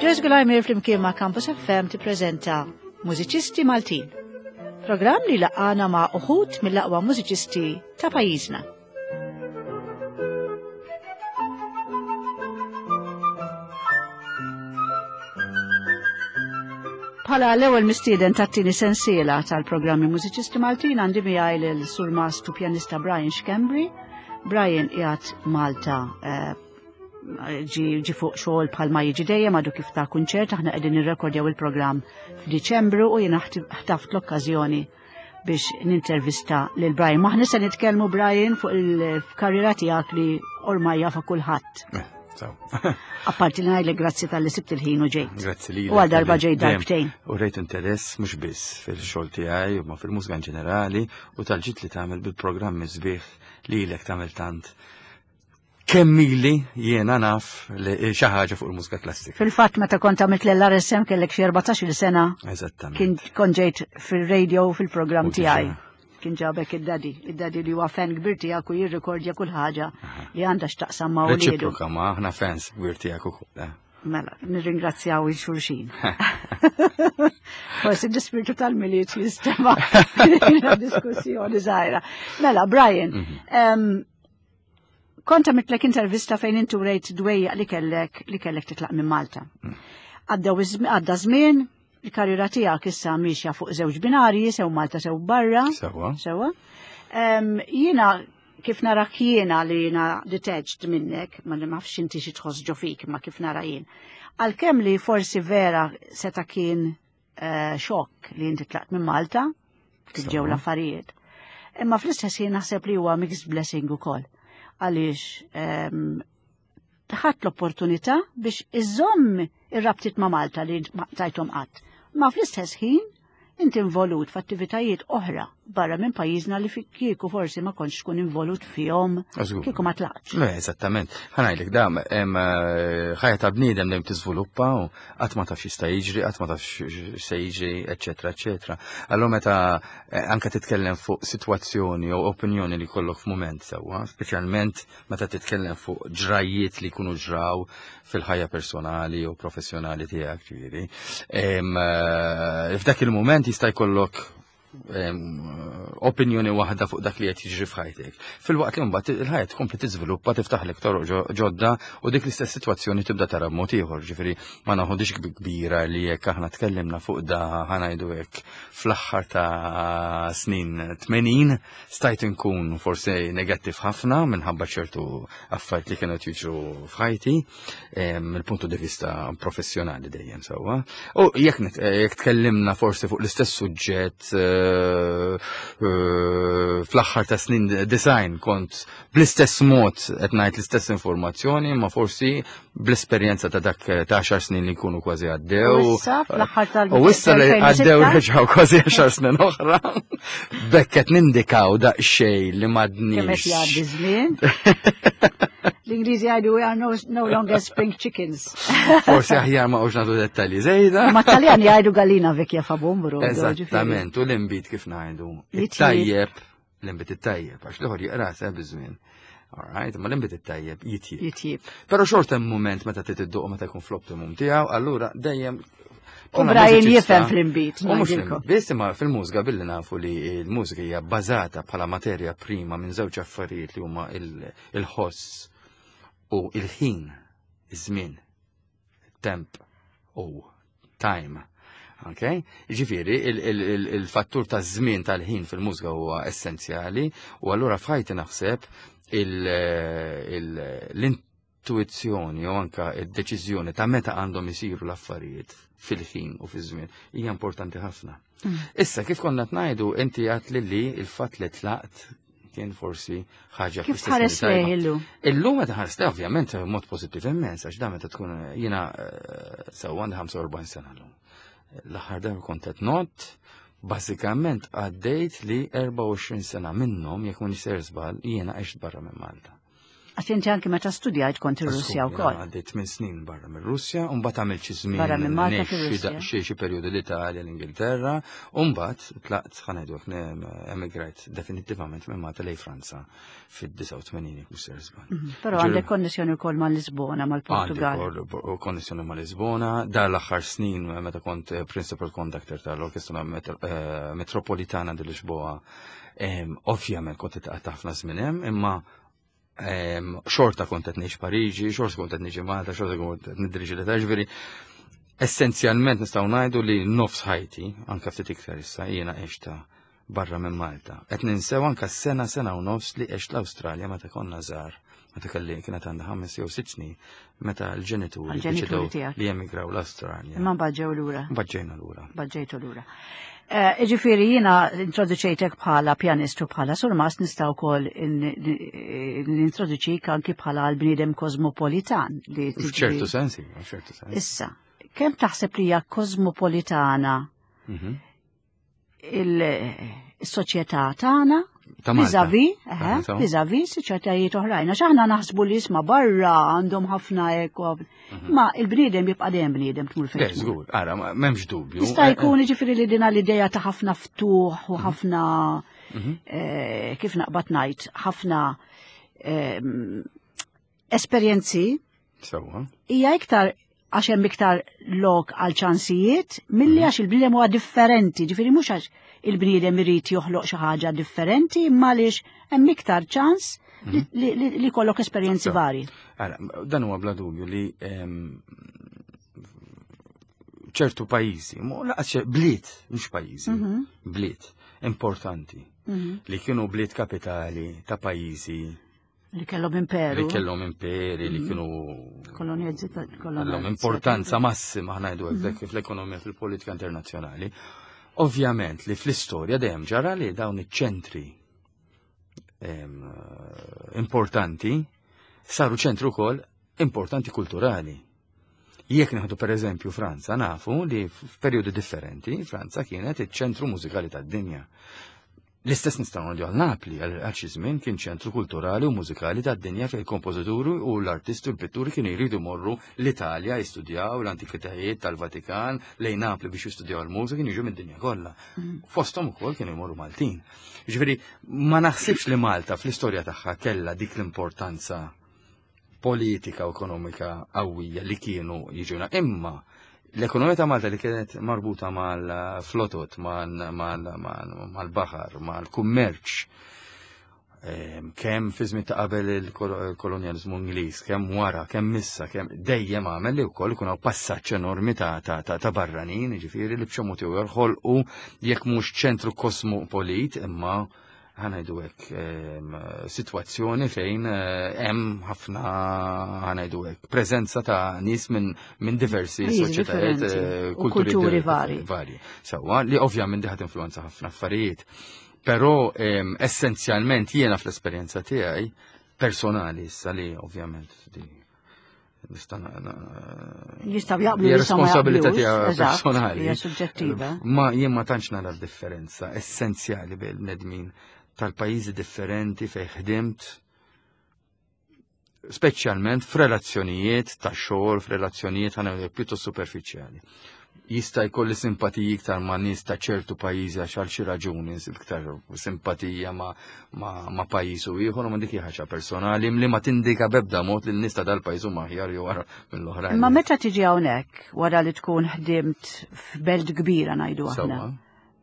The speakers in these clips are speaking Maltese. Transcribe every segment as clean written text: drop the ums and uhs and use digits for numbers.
Grace Gulajmir flimkien ma' Campus FM tippreżenta Mużiċisti Maltin. Programm li laqana ma' uħud mill-aqwa mużiċisti ta' pajjiżna. Bħala l-ewwel mistieden tat-tieni sensiela tal-programmi Mużiċisti Maltin għandi miegħi lil Sur Mastru pjanista Brian Schembri. Brian qiegħed Malta eh, ġi fuq xogħol bħalma jiġi dejjem għadu kif ta' kunċert aħna qegħdin nirrekordjaw il-programm f'Diċembru u jiena ħtaft l-okkażjoni biex nintervista lil Brian. Maħna se nitkellmu Brian fuq il-karriera tiegħek li ormai jafa kulħadd. Eh, Apparti li ngħidlek grazzi tal-li sibt il-ħin u ġejt. Grazzi li. U għal darba ġejt darbtejn. U rejt interess mhux biss fil-xogħol tiegħi u ma fil-mużika in ġenerali u tal-ġit li tagħmel bil-programmi sbieħ li lek tagħmel tant kemm ili jiena naf li xi ħaġa fuq il-mużika klassika. Fil-fatt meta kont għamilt l-RSM kellek xi 14-il sena. Eżattament. Kien kont ġejt fir-radio fil-programm tiegħi. Kien ġabek id-dadi, id-dadi li huwa fan kbir tiegħek u jirrikordja kull ħaġa li għandha x'taqsam ma' uliedu. Reċiproka ma aħna fans kbir tiegħek ukoll. Eh. Mela, nirringrazzjaw il-xulxin. Forsi l-ispirtu tal-miliet jistema diskussjoni żgħira. Mela, Brian, mhm. Kont għamiltlek intervista fejn inti urejt dwejjaq li kellek li kellek titlaq minn Malta. Għadda żmien, il-karriera tiegħek issa miexja fuq żewġ binarji, sew Malta sew barra. Sewa. Sewa. Jiena kif narak jiena li jiena detached minnek, ma nafx inti xi tħoss ġo fik, ma kif nara jien. Għalkemm li forsi vera seta' kien eh, xokk li inti tlaqt minn Malta, kif ġew l-affarijiet. Imma fl-istess jien naħseb li huwa mixed blessing ukoll. Għaliex ehm, ħadd l-opportunità biex iżomm ir-rabtiet ma' Malta li tajthom qatt. Ma fl-istess ħin inti involut f'attivitajiet oħra barra minn pajjiżna li kieku forsi ma kontx tkun involut fihom kieku ma tlaqx. Le, eżattament. Ħanajlek dam, eh, ħajja ta' bniedem dejjem tiżviluppa u qatt ma tafx jista' jiġri, qatt ma tafx se jiġri, eċetera, eċetera. Allura meta eh, anke titkellem fuq sitwazzjoni jew opinjoni li jkollok f'mument sewwa, speċjalment meta titkellem fuq ġrajjiet li jkunu ġraw fil-ħajja personali u professjonali tiegħek, ġifieri. Eh, f'dak il-mument jista' jkollok opinjoni waħda fuq dak li qed jiġri f'ħajtek. Fil-waqt li mbagħad il-ħajja tkompli tiżviluppa tiftaħlek toroq ġodda u dik l-istess sitwazzjoni tibda tara b'mod ieħor, ġifieri ma naħodix kbira li jekk aħna tkellimna fuq da ħanajdu hekk fl-aħħar ta' snin 80 stajt inkun forsi negattiv ħafna minħabba ċertu affarijiet li kienu jiġru f'ħajti mill-puntu di vista professjonali dejjem sewwa. U jekk eh, jekk tkellimna forsi fuq l-istess suġġett eh, eh, fl-aħħar ta' snin design kont bl-istess mod qed ngħid l-istess informazzjoni, ma forsi bl-esperjenza ta' dak ta' 10 snin li jkunu kważi għaddew. U issa fl-aħħar tal U issa li għaddew reġgħu kważi 10 snin oħra. Bekk qed nindikaw daqsxejn li m'għadniex. Kemm qed jgħaddi żmien. L-Ingliżi jgħidu we are no, no longer spring chickens. Forsi aħjar ma qux nagħtu dettalji żejda. Ma Taljan jgħidu gallina vecchia fa bumbru. Eżattament, u l-imbit kif ngħidu. It-tajjeb, l-imbit it-tajjeb, għax l-ieħor jiqra se biż-żmien. All right, ma l-imbit it-tajjeb jitjib. Jitjib. Però xorta hemm mument meta titidduq meta jkun fl-optimum tiegħu, allura dejjem U Brian jifhem fl-imbit. U mhux biss imma fil-mużika billi nafu li l-mużika hija bbażata bħala materja prima minn żewġ affarijiet li huma il-ħoss u il-ħin, iż-żmien, temp u time. Ok? Ġifieri, il-fattur ta' żmien tal-ħin fil-mużika huwa essenzjali u allura f'ħajti naħseb l-intuizzjoni u anka id-deċiżjoni ta' meta għandhom isiru l-affarijiet fil-ħin u fiż-żmien hija importanti ħafna. Mm. Issa kif konna tnajdu inti għat li li il-fatt li tlaqt kien forsi ħaġa Kif tħares lejh illum? Illum meta ħares lejh ovvjament mod pożittiv immens għax da meta tkun jiena eh, sew għandi 45 sena llum. L-aħħar darba kont qed not, bażikament għaddejt li 24 sena minnhom jekk ma niser żball jiena għext barra minn Malta. Għax inti anki meta studjajt kont ir-Russja wkoll. Għaddejt minn snin barra mir-Russja, u mbagħad għamilt xi żmien. Barra minn Malta fir-Russja. Xi perjodu l-Italja, l-Ingilterra, u mbagħad tlaqt ħanajdu emigrajt definittivament minn Malta lejn Franza fid-89 jekk mhux ser żball. Mhm. Però għandek konnessjoni wkoll ma' Lisbona, mal-Portugal. Għandi konnessjoni ma' Lisbona, dar l-aħħar snin meta kont eh, principal conductor tal-Orkestra eh, Metropolitana di Lisboa Ovvjament kont qed ħafna żmien hemm, imma xorta kont qed ngħix Pariġi, xorta kont qed niġi Malta, xorta kont qed nidriġi l ġifieri essenzjalment nistgħu ngħidu li nofs ħajti, anke ftit iktar issa, jiena għexta barra minn Malta. Qed ninsew anke sena sena u nofs li għext l-Awstralja meta konna żgħar, meta kelli kienet għandha ħames jew sitt snin, meta l-ġenituri deċidew li emigraw l-Awstralja. Imma baġġew lura. Baġġejna lura. Baġġejtu lura. Eh, ġifiri jina introduċejtek bħala pjanistu bħala surmast nista' wkoll nintroduċik anki bħala l-bniedem kosmopolitan li F'ċertu sensi, f'ċertu sensi. Issa, kemm taħseb li hija kosmopolitana mhm. il-soċjetà tagħna Vizavi, vizavi soċjetajiet oħrajn. Għax aħna naħsbu li isma' barra għandhom ħafna eko. Mhm. Ma il-bniedem jibqa' dejjem bniedem tmur fejn. Żgur, ara, m'hemmx dubju. Jista' eh, jkun eh. jiġifieri li dina l-idea ta' ħafna ftuħ u mhm. ħafna mhm. eh, kif naqbad ngħid, ħafna esperjenzi. Sewwa. Hija iktar għax hemm iktar lok għal ċansijiet milli mhm. għax il-bniedem huwa differenti, ġifieri mhux għax il-bniedem irid joħloq xi ħaġa differenti, imma għaliex hemm iktar ċans mhm. li jkollok esperjenzi vari. Dan huwa bla dubju li ehm, ċertu pajjiżi, laqas bliet, mhux pajjiżi, mhm. bliet importanti li kienu bliet kapitali ta' pajjiżi Li kellhom imperu. Li kellhom imperi, li mm. kienu. Kellhom importanza massima ħnajdu hekk mm. fl-ekonomija fil-politika internazzjonali. Ovvjament li fl-istorja dejjem ġara li dawn iċ-ċentri importanti saru ċentru wkoll importanti kulturali. Jekk nieħdu pereżempju Franza, nafu li f'perjodi differenti Franza kienet iċ-ċentru mużikali tad-dinja. L-istess nistgħu ngħidu għal Napli għal xi żmien kien ċentru kulturali u mużikali tad-dinja fejn il-kompożituri u l-artisti u l-pitturi kienu jridu jmorru l-Italja jistudjaw l-antikitajiet tal-Vatikan lejn Napli biex jistudjaw il-mużika kienu jiġu mid-dinja kollha. Mm. Fosthom ukoll kienu jmorru Maltin. Jiġifieri ma naħsibx li Malta fl-istorja tagħha kellha dik l-importanza politika u ekonomika qawwija li kienu jiġuna. Imma l-ekonomija ta' Malta li kienet marbuta mal-flotot, mal-baħar, mal-kummerċ, ehm, kemm fi żmien ta' qabel il-kolonjalizmu Ingliż, kemm wara, kemm issa, kemm dejjem għamel li wkoll ikun hawn passaġġ enormi ta' barranin, jiġifieri li b'xi mod jew ħolqu jekk mhux ċentru kosmopolit imma ħanajdu hekk sitwazzjoni fejn eh, hemm ħafna ħanajdu hekk preżenza ta' nies minn min diversi soċjetajiet eh, kulturi vari. Vari. Sewwa li ovvjament diħat influenza ħafna affarijiet. Però essenzjalment jiena fl-esperjenza tiegħi personali issa li ovvjament di Jistaw jaqblu responsabilità tiegħu personali. Hija suġġettiva. Ma jien ma tantx nara differenza essenzjali bejn bnedmin tal-pajjiżi differenti fejn ħdimt speċjalment f'relazzjonijiet ta' xogħol, f'relazzjonijiet ħana pjuttost superfiċjali jista' jkolli simpatiji iktar ma' nies ta' ċertu pajjiżi għax għal xi raġuni nsib iktar simpatija ma', ma, ma pajjiż u ieħor ma dik hija ħaġa personali li ma tindika b'ebda mod li n-nies ta' dal-pajjiż huma aħjar jew wara mill-oħrajn. Imma meta tiġi hawnhekk wara li tkun ħdimt f'belt kbira ngħidu aħna.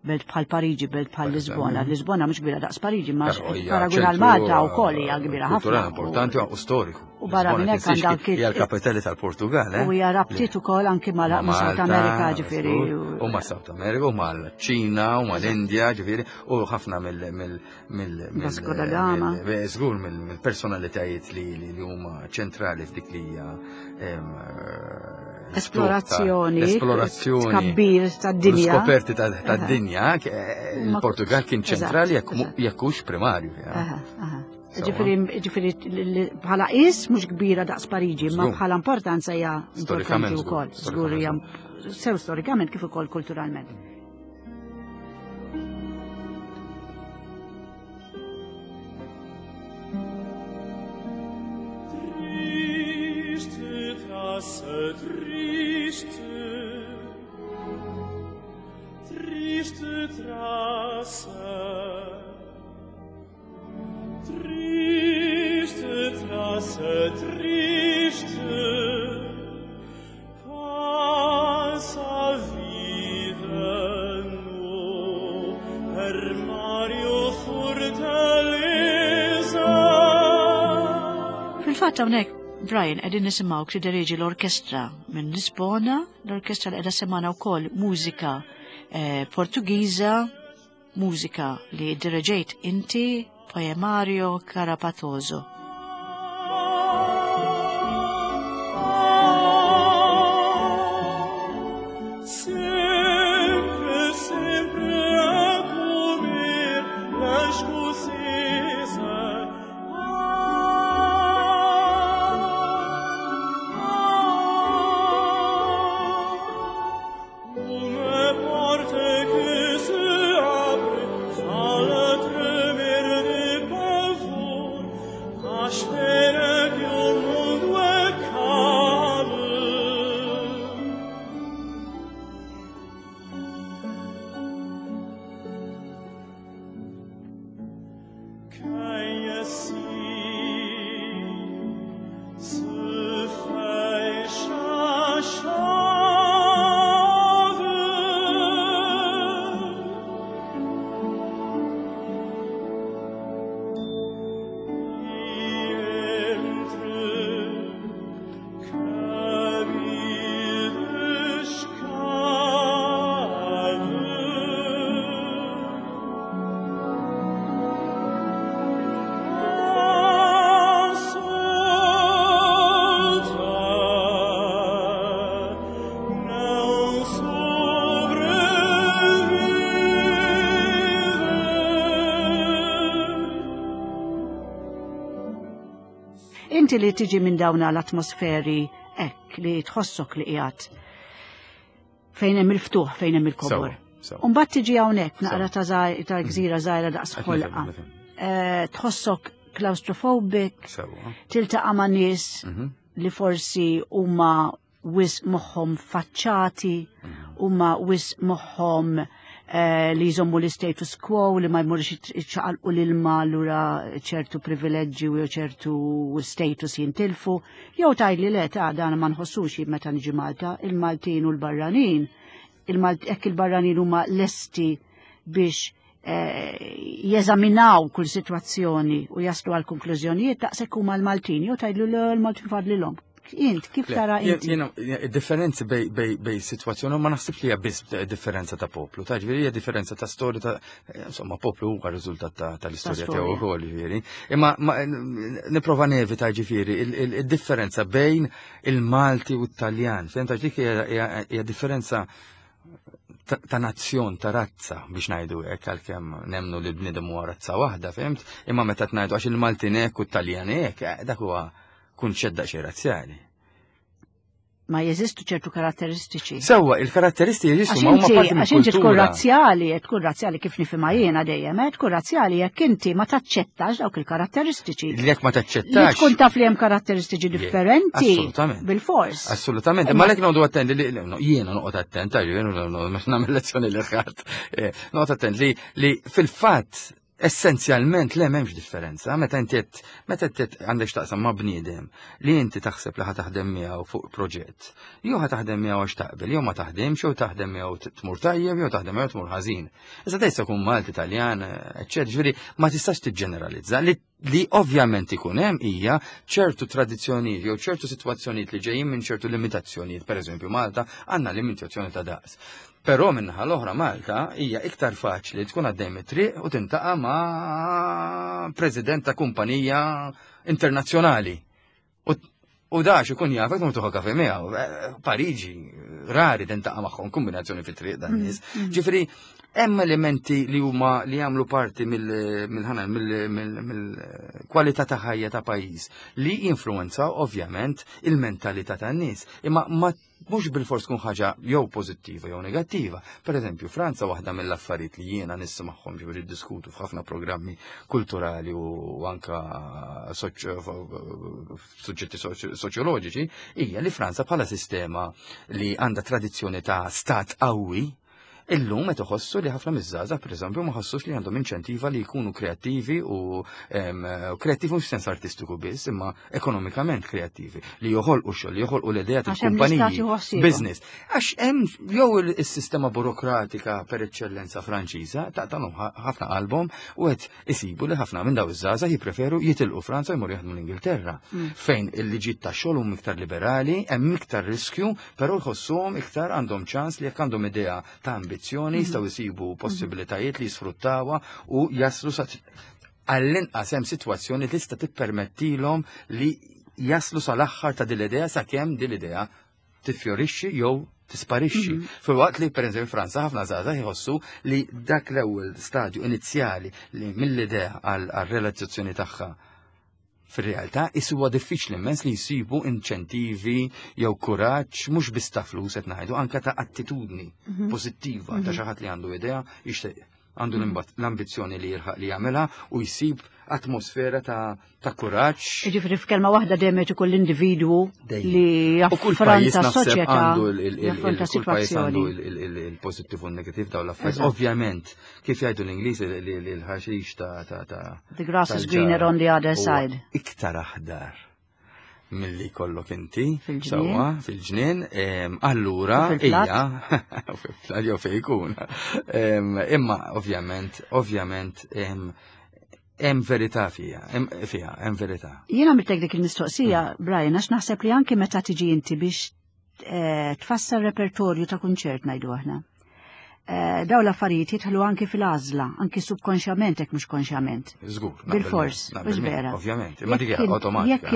Belt bħal Pariġi, belt bħal Lisbona. Lisbona mhux kbira daqs Pariġi, ma paragun għal Malta wkoll hija kbira ħafna. Kultura importanti u storiku. U barra minn hekk għandha anki. Hija l-kapitali tal-Portugal, eh? U hija rabtiet ukoll anki ma' South America, ġifieri. U ma' South America, u mal-Ċina, u mal-Indja, ġifieri, u ħafna mill mill Vasco da Gama. Żgur mill-personalitajiet li huma ċentrali f'dik li hija eh, esplorazzjoni, esplorazzjoni, tkabbir tad-dinja. Skoperti tad-dinja, eh, il-Portugal kien ċentrali jekk hux primarju. Ġifieri bħala is mhux kbira daqs Pariġi, ma bħala importanza hija importanti wkoll. Żgur hija sew storikament kif ukoll kulturalment. triste, passa a vida no armário fortaleza. Fil-fatt hawnhekk Brian qegħdin nisimgħu tideriġi l-orkestra minn Lisbona, l-orkestra li qiegħda semana wkoll mużika eh, Portugiża, mużika li direġejt inti Poemario Carapatoso. Sempre, sempre a comer la escocesa. Ah, Uma porta que se abre, fala tremer de pavor, à espera que o mundo acabe. Quem assim se fecha a chave e entre cabides cabe. Solta não sobrevive. Inti li tiġi minn dawna l-atmosferi hekk li tħossok li qiegħed fejn hemm il-ftuħ, fejn hemm il-kobor. Sewa, sewa. Umbagħad tiġi hawnhekk naqra Sewa. ta' ta' gżira żgħira daqs Qed ħolqa. nifhem, nifhem. Eh, Tħossok claustrophobic, Sewa. tiltaqa' ma' nies Mhm. li forsi huma wis moħħhom faċċati, huma wis moħħhom eh, li jżommu l-status quo, li ma jmurx iċċaqalqu l-ilma allura ċertu privileġġi u ċertu status jintilfu, jew tgħidli le ta' dan ma nħossux jien meta niġi Malta, il-Maltin u l-barranin, hekk il-barranin huma lesti biex eh, jeżaminaw kull sitwazzjoni u jaslu għal konklużjonijiet daqshekk huma l-Maltin, jew tgħidlu le l-Maltin fadlilhom. Int, kif Le, tara inti? jiena- Differenzi bej, bej, bej situazzjoni, ma naħsibx li hija biss differenza ta' poplu, ta' ġifieri hija differenza ta' storja ta' insomma poplu huwa riżultat ta' tal-istorja Ta' tiegħu storja. wkoll ġifieri. Imma ma- nipprova nevita ġifieri il-differenza bejn il-Malti u t-Taljan. Fehmt għax dik hija- hija hija differenza ta' ta' nazzjon, ta' razza biex ngħidu hekk għalkemm nemnu li l-bniedem huwa razza waħda, fhimt? Imma meta tngħidu għax il-Maltin hekk u t-Taljan hekk, eh, dak huwa kunċett daqsxejn razzjali. Ma jeżistu ċertu karatteristiċi. Sewwa, il-karatteristiċi jeżistu Għax ma huma inti, parti għax inti tkun mill-kultura. razzjali, tkun razzjali kif nifhimha jiena dejjem, eh, tkun razzjali jekk inti ma taċċettax dawk il-karatteristiċi. Li jekk ma Li taċċettax. tkun taf li hemm karatteristiċi Je, differenti. assolutament. Bil-fors. Assolutament, Imma- ma lek noqgħdu attenti li no, jiena noqgħod attent, jiena nagħmel lezzjoni li ħadd. eh, Noqgħod attent li li fil-fatt essenzjalment le m'hemmx differenza. Meta inti qed meta inti qed għandek x'taqsam ma' bniedem li inti taħseb li ħa taħdem miegħu fuq proġett. Jew ħa taħdem miegħu għax taqbel, jew ma taħdemx, jew taħdem miegħu tmur tajjeb, jew taħdem miegħu tmur ħażin. Issa tgħid jkun Malti, Taljan, eċċetera, ġifieri ma tistax tiġġeneralizza li li ovvjament ikun hemm hija ċertu tradizzjonijiet jew ċertu sitwazzjonijiet li ġejjin minn ċertu limitazzjonijiet. Per eżempju, Malta għandna limitazzjoni ta' daqs. Però minnaħa l-oħra Malta hija iktar faċli tkun għaddej mit-triq u tintaqa' ma' president ta' kumpanija internazzjonali. U, u dax ikun jafek tmur tuħu kafe miegħu. Eh, Pariġi, rari tintaqa' magħhom kombinazzjoni fit-triq dan nies. Ġifieri hemm elementi li huma li jagħmlu parti mill-ħana mill-kwalità ta' ħajja ta' pajjiż li jinfluwenzaw ovvjament il-mentalità tan-nies. Imma ma mhux bilfors tkun ħaġa jew pożittiva jew negattiva. Per eżempju, Franza waħda mill-affarijiet li jiena nismagħhom ġifieri diskutu f'ħafna programmi kulturali u anka suġġetti soċjoloġiċi hija li Franza bħala sistema li għandha tradizzjoni ta' stat qawwi Illum qed iħossu li ħafna miż-żgħażagħ pereżempju ma ħossux li għandhom inċentiva li jkunu kreattivi u kreattivi mhux sens artistiku biss, imma ekonomikament kreattivi, li joħolqu xogħol, li joħolqu l-idea tal-kumpaniji, business. Għax hemm jew is-sistema burokratika per eċċellenza Franċiża taqtalhom ħafna qalbhom u qed isibu li ħafna minn daw iż-żgħażagħ jippreferu jitilqu Franza jmorru jaħdmu l-Ingilterra, fejn il-liġijiet tax-xogħol huma iktar liberali, hemm iktar riskju, però jħossuhom iktar għandhom ċans li jekk għandhom idea ta' ambizzjoni jistgħu jsibu possibilitajiet li jisfruttawha u jaslu sa għall-inqas hemm sitwazzjoni li tista' tippermettilhom li jaslu sal-aħħar ta' din l-idea sakemm din l-idea tiffjorixxi jew tisparixxi. Filwaqt li pereżempju Franza ħafna żgħażagħ jħossu li dak l-ewwel stadju inizjali li mill-idea għal-realizzazzjoni tagħha fir-realtà huwa diffiċli immens li jsibu inċentivi jew kuraġġ mhux biss ta' flus qed ngħidu anke ta' attitudni pożittiva ta' xi ħadd li għandu idea jixtieq għandu l-ambizzjoni li jirħaq li jagħmilha u jsib atmosfera ta' kuraġġ. Jiġifieri f'kelma waħda dejjem qed ikun l-individwu li jaffronta s-soċjetà, jaffronta sitwazzjoni. Il-pożittiv u n-negattiv dawn l-affarijiet. Ovvjament, kif jgħidu l-Ingliż li l-ħaxix ta' The grass is greener on the other side. Iktar aħdar milli kollok inti. Fil-ġnien. Fil-ġnien, allura, ija, fil-plat jew fejn ikun. Imma, ovvjament, ovvjament, hemm verità fiha, fiha, hemm verità. Jiena għamiltek dik il-mistoqsija, Brian, għax naħseb li anke meta tiġi inti biex tfassal repertorju ta' kunċert ngħidu aħna. Daw l-affarijiet jidħlu anki fil-għażla, anki subkonxjament jekk mhux konxjament. Żgur. Bil-fors, mhux vera. Ovvjament, imma dik awtomatika.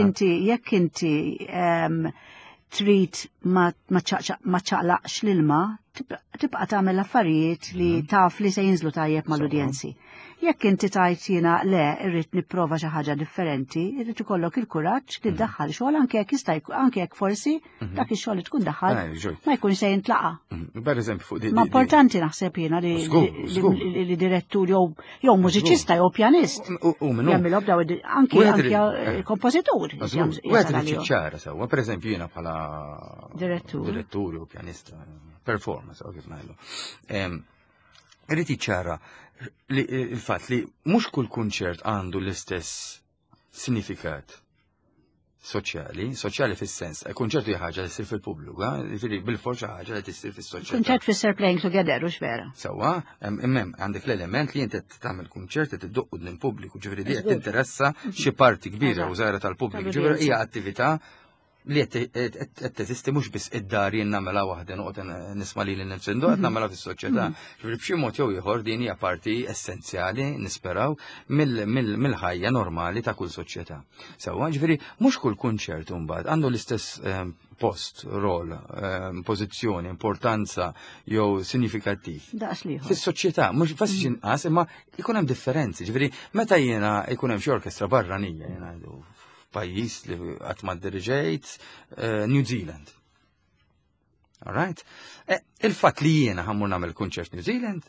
Jekk inti trid ma ċaqlaqx l-ilma, tibqa' tagħmel affarijiet li taf li se jinżlu tajjeb mal-udjenzi. Jekk inti tajt jiena le irrid nipprova xi ħaġa differenti, irrid ikollok il-kuraġġ li ddaħħal xogħol anke jekk jista' anke jekk forsi dak ix-xogħol li tkun daħħal ma jkunx se jintlaqa. Per eżempju fuq di. Ma importanti naħseb jiena li direttur jew mużiċista jew pjanist. U minnu. Jagħmilhom daw anke anke kompożitur. Wieħed irid jiċċara sewwa, per eżempju jiena bħala direttur. Direttur jew pjanista, performance, kif ngħidu. Irid jiċċara li il-fatt li mhux kull kunċert għandu l-istess sinifikat soċjali, soċjali fis-sens, kunċert hija ħaġa li ssir fil-pubbliku, jiġifieri bil-forsa xi ħaġa li tissir fis-soċjetà. Kunċert fisser playing together, u vera. Sewwa, imma għandek l-element li inti tagħmel kunċert qed iddoq quddiem pubbliku, ġifieri di qed tinteressa xi parti kbira u żgħira tal-pubbliku, ġifieri hija attività li qed teżisti mhux biss id-dar jien nagħmilha waħda noqgħod nisma' lili nnifsi ndoq qed nagħmilha fis-soċjetà. Ġifieri b'xi mod jew ieħor din hija parti essenzjali nisperaw mill-ħajja normali ta' kull soċjetà. Sewwa, ġifieri mhux kull kunċert imbagħad għandu l-istess post, rol, pożizzjoni, importanza jew sinifikattiv. Fis-soċjetà, mhux faċli inqas, imma jkun hemm differenzi. Ġifieri meta jiena jkun hemm xi orkestra barranija jiena pajjiż li qatt ma diriġejt, New Zealand. All right? Il-fatt li jiena ħa mmur nagħmel kunċert New Zealand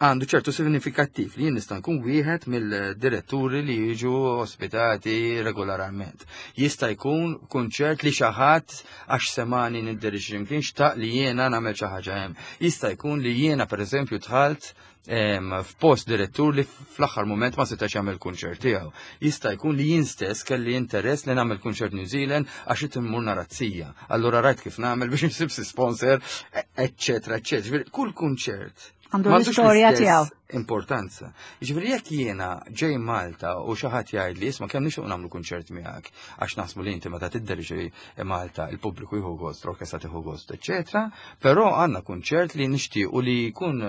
għandu ċertu sinifikattiv li jien nista' nkun wieħed mill-diretturi li jiġu ospitati regolarment. Jista' jkun kunċert li xi ħadd għax semani niddirixxi mkien xtaq li jiena nagħmel xi ħaġa hemm. Jista' jkun li jiena pereżempju dħalt f'post direttur li fl-aħħar moment ma setax jagħmel kunċert tiegħu. Jista' jkun li jien stess kelli interess li nagħmel kunċert New Zealand għax qed immur narazzija. Allura rajt kif nagħmel biex insib si sponsor, eċċetera, eċċetera. Ġifieri kull kunċert għandu l-istorja tiegħu. Importanza. Ġifieri jekk jiena ġej Malta u xi ħadd jgħid li isma' kemm nixtieq nagħmlu kunċert miegħek għax naħsbu li inti meta tidderġi Malta il-pubbliku jieħu gost, l-orkestra tieħu gost, eċċetera, però għandna kunċert li nixtiequ li jkun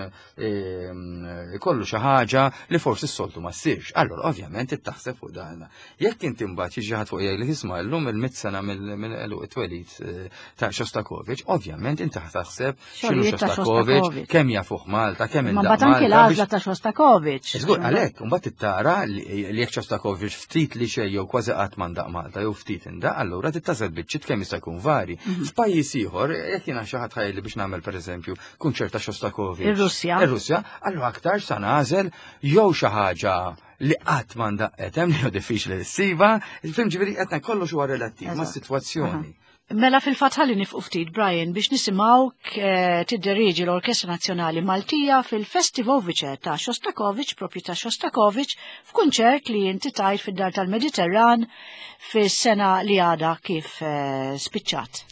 ikollu xi ħaġa li forsi s-soltu ma ssirx. Allora ovvjament taħseb fuq dan. Jekk inti mbagħad jiġi ħadd fuq jgħidlek isma' llum il-mit sena mill-għeluq it-twelid ta' Shostakovich, ovvjament inti taħseb x'inhu Shostakovich, kemm jafuh Malta, kemm Ma mbagħad anke l-għażla ta' Shostakovich. Żgur, għalhekk, mbagħad tittara li jekk Shostakovich ftit li xejn jew kważi qatt ma ndaq Malta jew ftit indaq, allura tittasel biċċiet kemm jista' jkun vari. F'pajjiż ieħor, jekk jiena xi ħadd ħajli biex nagħmel pereżempju kunċert ta' Shostakovich. Ir-Russja. Ir-Russja, allura aktar sa nagħżel jew xi ħaġa li qatt ma ndaqet hemm li diffiċli li ssiba, fim ġifieri qed kollox huwa relattiv ma' sitwazzjoni. Mela fil-fatt ħalli nifqu ftit Brian biex nisimgħuk eh, tidderieġi l-Orkestra Nazzjonali Maltija fil-Festivovice ta' Shostakovich, propju ta' Shostakovich, f'kunċert li inti tajt fid-Dar tal-Mediterran fis-sena li għada kif eh, spiċċat.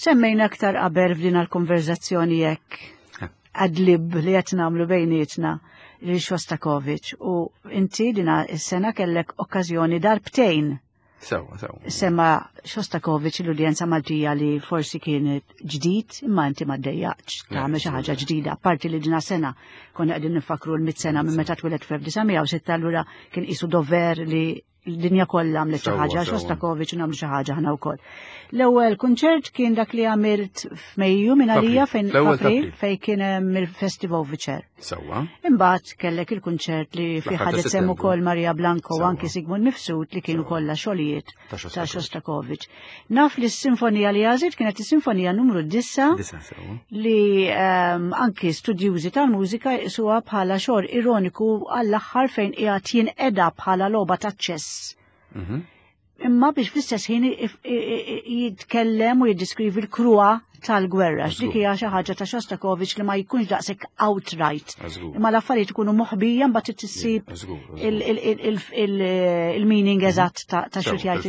Semmejna aktar qabel f'din l-konverzazzjoni jekk adlib li qed nagħmlu bejnietna li Shostakovich u inti dina s-sena kellek okkażjoni darbtejn. Sewa, sewa. Sema Shostakovich l-udjenza Maltija li forsi kienet ġdid imma inti ma ddejjaqx tagħmel xi ħaġa ġdida. Parti li dina sena konna qegħdin nifakru l-mit sena minn meta twieled fl-1906 allura kien qisu dover li l-dinja kollha għamlet xi ħaġa, Shostakovich u nagħmlu xi ħaġa aħna wkoll. L-ewwel kunċert kien dak li għamilt f'Mejju minn għalija fejn April fejn kien hemm il-Festival Viċer. Sewwa. Imbagħad kellek il-kunċert li fih ħadet sehem ukoll Maria Blanco u anki Sigmund Mifsud li kienu kollha xogħlijiet ta' Shostakovich. Naf li s-sinfonija li għażilt kienet is-sinfonija numru 9 li um, anki studjużi tal-mużika jqisuha bħala xogħol ironiku għall-aħħar fejn qiegħed jinqeda bħala logħba ta' ċess. Mhm. Imma biex fl-istess ħin jitkellem u jiddiskrivi l-kruha tal-gwerra, x'dik hija xi ħaġa ta' Shostakovich li ma jkunx daqshekk outright. Imma l-affarijiet ikunu moħbija mbagħad tissib il-meaning mhm. eżatt ta' xi jgħid.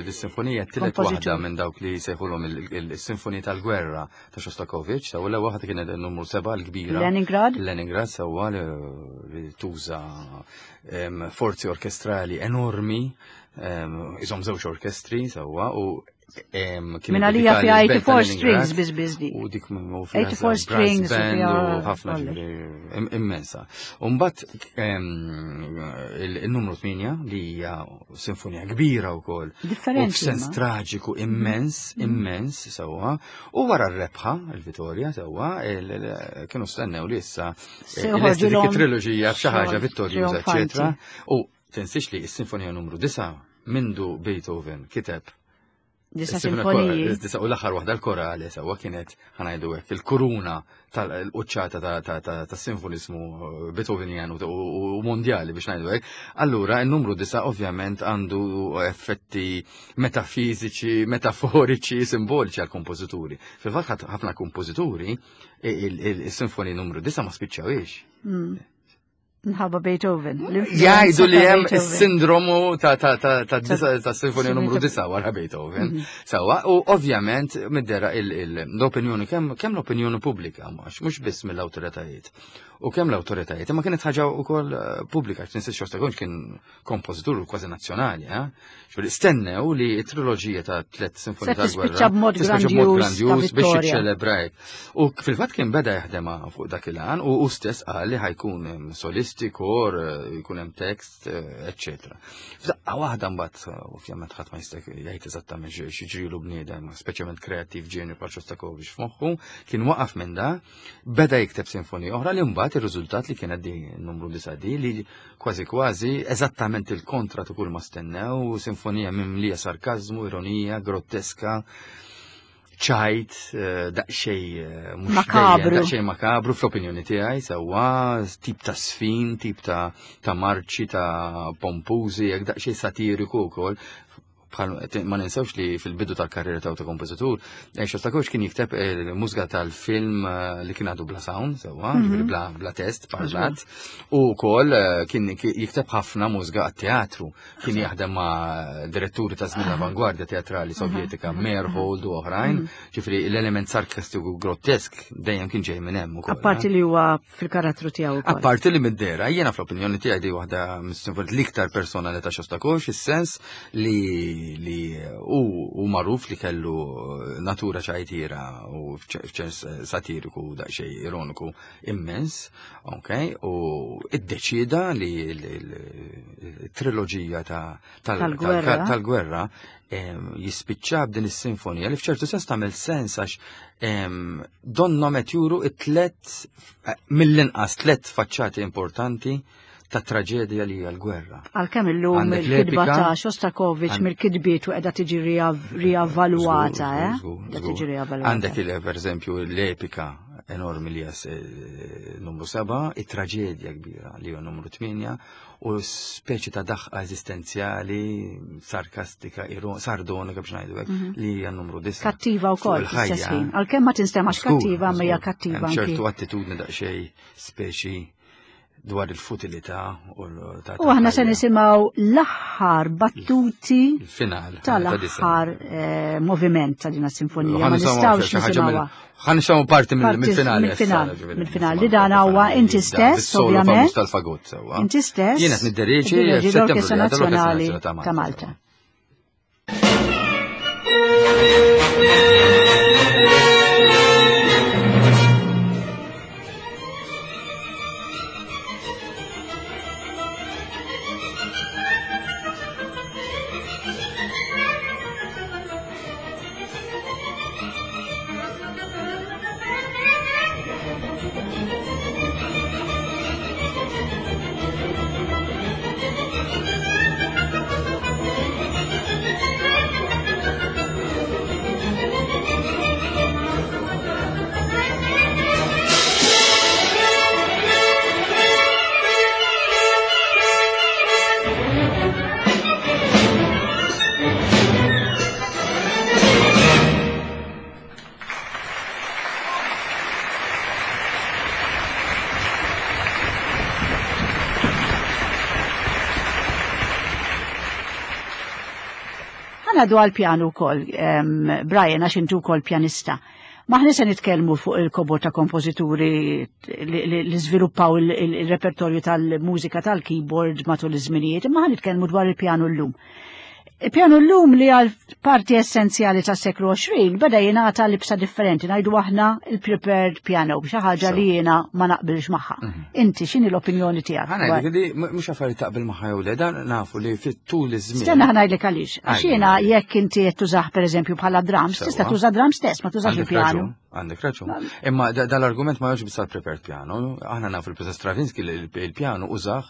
Il-sinfonija t-tielet waħda minn dawk li jsejħulhom il-sinfonija tal-gwerra ta' Shostakovich, sew l waħda kienet numru 7 l-kbira. Leningrad. Leningrad sewwa li tuża forzi orkestrali enormi, iżom żewġ orkestri sewwa u Minn għalija fi 84 strings biz biz di. U dik u fi 84 strings u ħafna immensa. Umbat il-numru 8 li hija sinfonija kbira wkoll. Differenti. U f'sens traġiku immens, mm. immens sewwa. U wara r-rebħa, il-Vitorja sewwa, kienu stennew li issa dik it-triloġija f'xi ħaġa vittorjuża, eċetera. U tinsiex li s-sinfonija numru 9 mindu Beethoven kiteb Disa sinfoniji. Disa u l-aħħar waħda l-korali sewwa kienet ħanajdu hekk il-kuruna tal-quċċata ta' sinfonizmu eh, Beethovenian u mondjali biex ngħidu hekk. Allura n-numru disa ovvjament għandu effetti metafiżiċi, metaforiċi, simboliċi għal kompożituri. Fil-fatt ħafna kompożituri il-sinfoni numru disa ma spiċċawiex. Nħabba Beethoven. Jgħidu li hemm is-sindromu ta' ta' ta' ta' ta' sinfonija numru 9 wara Beethoven. Mhm. Sawa, u ovvjament middera l-opinjoni kemm kemm l-opinjoni pubblika mhux mhux biss mill-awtoritajiet. U kemm l-awtoritajiet, imma kienet ħaġa wkoll eh, pubblika, x'ninsiex Shostakovich kien kompożitur kważi nazzjonali, eh? Ġifieri stennew li t-triloġija ta' tliet sinfonija tal-gwerra. Tispiċċa b'mod grandjuż biex jiċċelebra hekk. U fil-fatt kien beda jaħdem fuq dak il-għan u hu stess qal li ħajkun hemm solisti, kor, eh, jkun hemm tekst, eh, eċċetera. F'daqqa waħda mbagħad eh, ovvjament ħadd ma jista' jgħid eżattament xi ġrilu bniedem, speċjalment kreattiv ġenju bħal Shostakovich f'moħħu, kien waqaf minn da, beda jikteb sinfonija oħra li mbagħad ir-riżultat li kienet di numru 9 di li Kważi kważi, eżattament il-kontra ta' kull ma stennew, sinfonija mimlija sarkazmu, ironija, grotteska, ċajt, eh, daqxej eh, makabru. Daqxej makabru fl-opinjoni tiegħi sewwa tip ta' sfin, tip ta' ta' marċi, ta' pompużi, jekk daqxej satiriku wkoll bħal ma ninsewx li fil-bidu tal-karriera ta' kompożitur, eh, Shostakovich kien jikteb il-mużika tal-film eh, li kien għadu bla sound, sewwa, mm -hmm. bla, bla test, parlat, u wkoll eh, kien jikteb ħafna mużika għat-teatru, kien jaħdem ma' diretturi ta' żmien l-avangwardja teatrali sovjetika, Meyerhold u oħrajn, mhm. ġifieri l-element sarkastiku grottesk dejjem kien ġej minn hemm ukoll. Apparti li huwa fil-karattru tiegħu wkoll. Apparti li mid-dera, jiena fl-opinjoni tiegħi di waħda mis-sinfonijiet l-iktar personali ta' Shostakovich, is-sens li li hu hu magħruf li kellu natura ċajtira u f'ċens satiriku daqsxejn ironiku immens, ok, u iddeċieda li l-triloġija tal-gwerra jispiċċa b'din is-sinfonija li f'ċertu sens tagħmel sens għax donnom qed juru it-tlet eh, mill-inqas tlet faċċati importanti ta' traġedja li hija l-gwerra. Għalkemm illum il-kitba ta' Shostakovich mill-kitbiet u qiegħda tiġi riavvaluata, eh? Tiġi riavvaluata. Għandek il per eżempju l-epika enormi li hija eh, numru 7, it-traġedja kbira li hija numru 8 u speċi ta' daħqa eżistenzjali, sarkastika, sardonika biex ngħidu hekk, mhm. li hija numru disa. Kattiva wkoll fl-istess ħin. Għalkemm ma tinstemax kattiva, ma hija kattiva. Ċertu attitudni daqsxejn speċi dwar il-futilità u ta' U aħna se nisimgħu l-aħħar battuti il-final tal-aħħar eh, moviment ta' din sinfonija. Ma nistgħux nisimgħuha. Ħa nisimgħu parti mill-finali. Mill-finali li dan huwa inti stess, ovvjament. Tal-fagot sewwa. Inti stess. Jiena qed nidderieġi l-Orkestra Nazzjonali ta' Malta. Ħanadu għal-pjanu kol, Brian, għax intu kol pjanista. Maħni se nitkellmu fuq il-kobor ta' kompożituri li żviluppaw il-repertorju tal-mużika tal-keyboard matul iż-żminijiet, imma ħan nitkellmu dwar il-pjanu llum. Il-pjanu llum li għal parti essenzjali tas seklu 20 beda jingħata libsa differenti, ngħidu aħna il-prepared piano, xi ħaġa li jiena ma naqbilx magħha. Mhm. Inti x'inhi l-opinjoni tiegħek? Ħa ngħidlek mhux affarijiet taqbel magħha jew le, dan nafu li fit-tul iż-żmien. Stenna ħa ngħidlek għaliex. Għax jiena jekk inti qed tużah pereżempju bħala drums, tista' tuża drums stess, ma tużax il-pjanu. Għandek raġun. Imma dal-argument ma jogħġobx biss prepared piano. Aħna nafu il-Professor Stravinsky li il-pjanu użah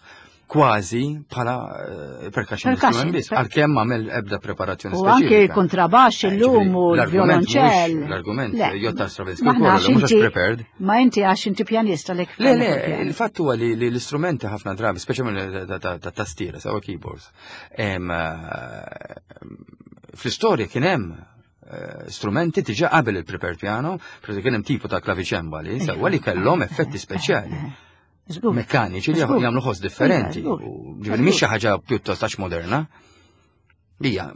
kważi bħala eh, percussion instrument biss, għalkemm għamel ebda preparazzjoni U anke kontrabax eh, illum u l-violonċell. L-argument jotta Stravinsky ukoll mhux prepared. Ma inti għax inti pjanista lek. Le, le, il-fatt huwa li l-istrumenti ħafna drabi, speċjalment ta' tastiera, sewa keyboards. Eh, fl-istorja kien hemm strumenti diġà qabel il-prepared piano, per kien hemm tipo ta' klaviċembali, sewa li kellhom effetti speċjali. Mekkaniċi li jagħmlu ħoss differenti. Ġifieri mhix xi ħaġa pjuttost għax moderna. Hija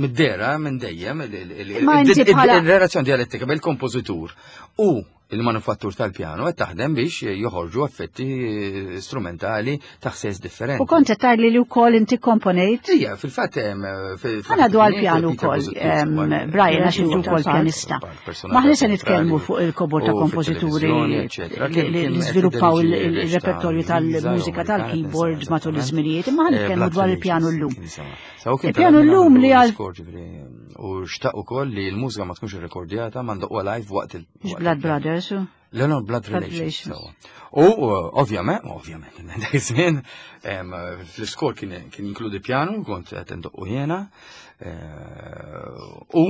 mid-dera minn dejjem il-relazzjoni dialettika bejn il-kompożitur u il-manufattur tal-pjano qed taħdem biex joħorġu effetti strumentali ta' ħsejjes differenti. U kont qed tgħidli li wkoll inti komponejt? Ija, fil-fatt hemm Ħana dwar pjanu wkoll, Brian għax inti wkoll pjanista. Maħni se nitkellmu fuq il-kobor ta' kompożituri li żviluppaw il-repertorju tal-mużika tal-keyboard matul iż-żminijiet, imma ħa nitkellmu dwar il-pjanu llum. Il-pjanu llum li għal. U xtaq ukoll li l-mużika ma tkunx irrekordjata ma ndoqwa live waqt il- Blood Brothers. Le, no, Blood Relations. U ovvjament, ovvjament, dak iż-żmien fl-iskor kien jinkludi pjanu, kont qed indoqqu jiena. Eh, u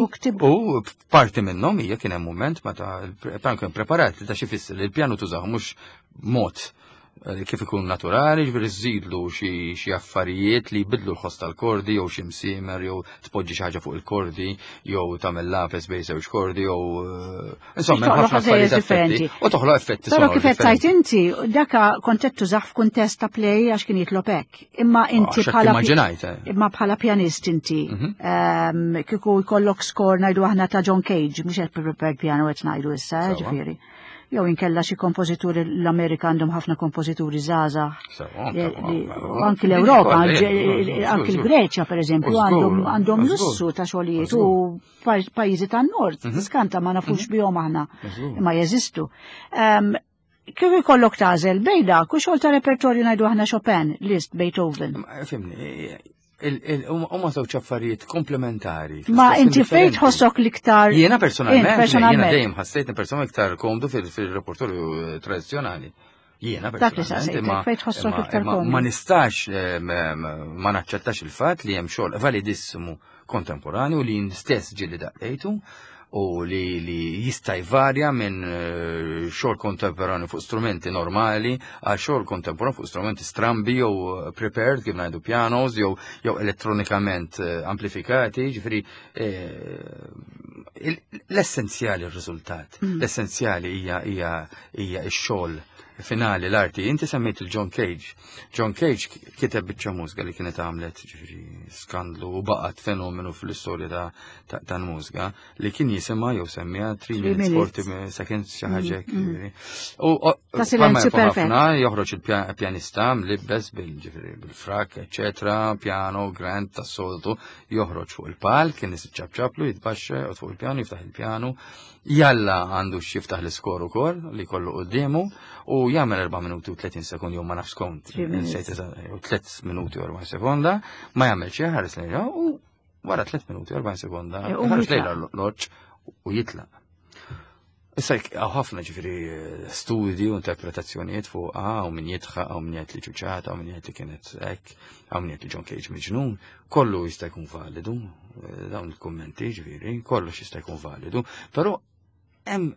u parti minnhom hija kien hemm mument meta l-pjanu kien preparat li ta' xi fisser li l-pjanu tużaw mhux mod Eh, kif ikun naturali, ġifieri żżidlu xi affarijiet li jbidlu l-ħoss tal-kordi jew xi msiemer jew tpoġġi xi ħaġa fuq il-kordi jew tagħmel lapes bejn żewġ kordi jew eh, insomma hemm ħafna affarijiet differenti. U toħloq effetti Però kif qed tajt inti, daka kont qed tużah f'kuntest ta' play għax kien jitlob hekk. Imma ah, inti bħala eh. Imma bħala pjanist inti mhm. ehm, kieku jkollok score ngħidu aħna ta' John Cage, mhux qed prepared piano qed ngħidu issa, ġifieri jew inkella xi kompożituri l-Amerika għandhom ħafna kompożituri żgħażagħ. Anki l-Ewropa, anki l-Greċja pereżempju għandhom lussu ta' xogħlijiet u pajjiżi tan-nord, mhm. skanta ma nafux mhm. bihom aħna, imma jeżistu. Ehm, kif ikollok tażel bejn dak u xogħol ta' repertorju ngħidu aħna Chopin, Liszt, Beethoven. Fimni, Huma żewġ affarijiet komplementari. Ma inti fejn tħossok l-iktar. Jiena personalment, jiena dejjem ħassejt persona iktar komdu fil-repertorju eh, tradizzjonali. Jiena personalment, imma fejn tħossok iktar komdu. Ma nistax eh, ma naċċettax il-fatt li hemm xogħol validissimu kontemporanju li stess ġieli daqqejtu u li, li jista' jvarja minn eh, xogħol kontemporanju fuq strumenti normali għal xogħol kontemporanju fuq strumenti strambi jew eh, prepared kif ngħidu pianos jew jew elettronikament eh, amplifikati, ġifieri l-essenzjali r-riżultat, mm. l-essenzjali hija hija hija x-xogħol. finali l-arti. Inti semmejt il-John Cage. John Cage kiteb biċċa mużika li kienet għamlet ġifieri skandlu u baqgħet fenomenu fl-istorja tal-mużika li kien jisimha jew semmija 3 minutes 40 seconds xi ħaġa hekk. U Ta' silenzju perfett. Joħroġ il-pjanista mlibbes bil-ġifieri bil-frak, eċetera, piano, grand tas-soltu, joħroġ fuq il-palk, kien ċapċaplu, jitbaxxa fuq il-pjanu, jiftaħ il-pjanu, jalla għandu x'jiftaħ l-iskor ukoll li kollu quddiemu u jagħmel 4 minuti u 30 sekund jew ma nafx kont. 3 minuti u 4 sekonda, ma jagħmel xejn ħares lejha u wara 3 minuti u 40 sekonda e, ħares lejha l-loġġ u jitlaq. Issa hawn ħafna ġifieri studji u interpretazzjonijiet fuq u min jitħaq, u min jgħid li ċuċata, u min jgħid li kienet hekk, u min jgħid li John Cage miġnun, kollu jista' jkun validu, dawn il-kummenti ġifieri, kollox jista' jkun validu, però hemm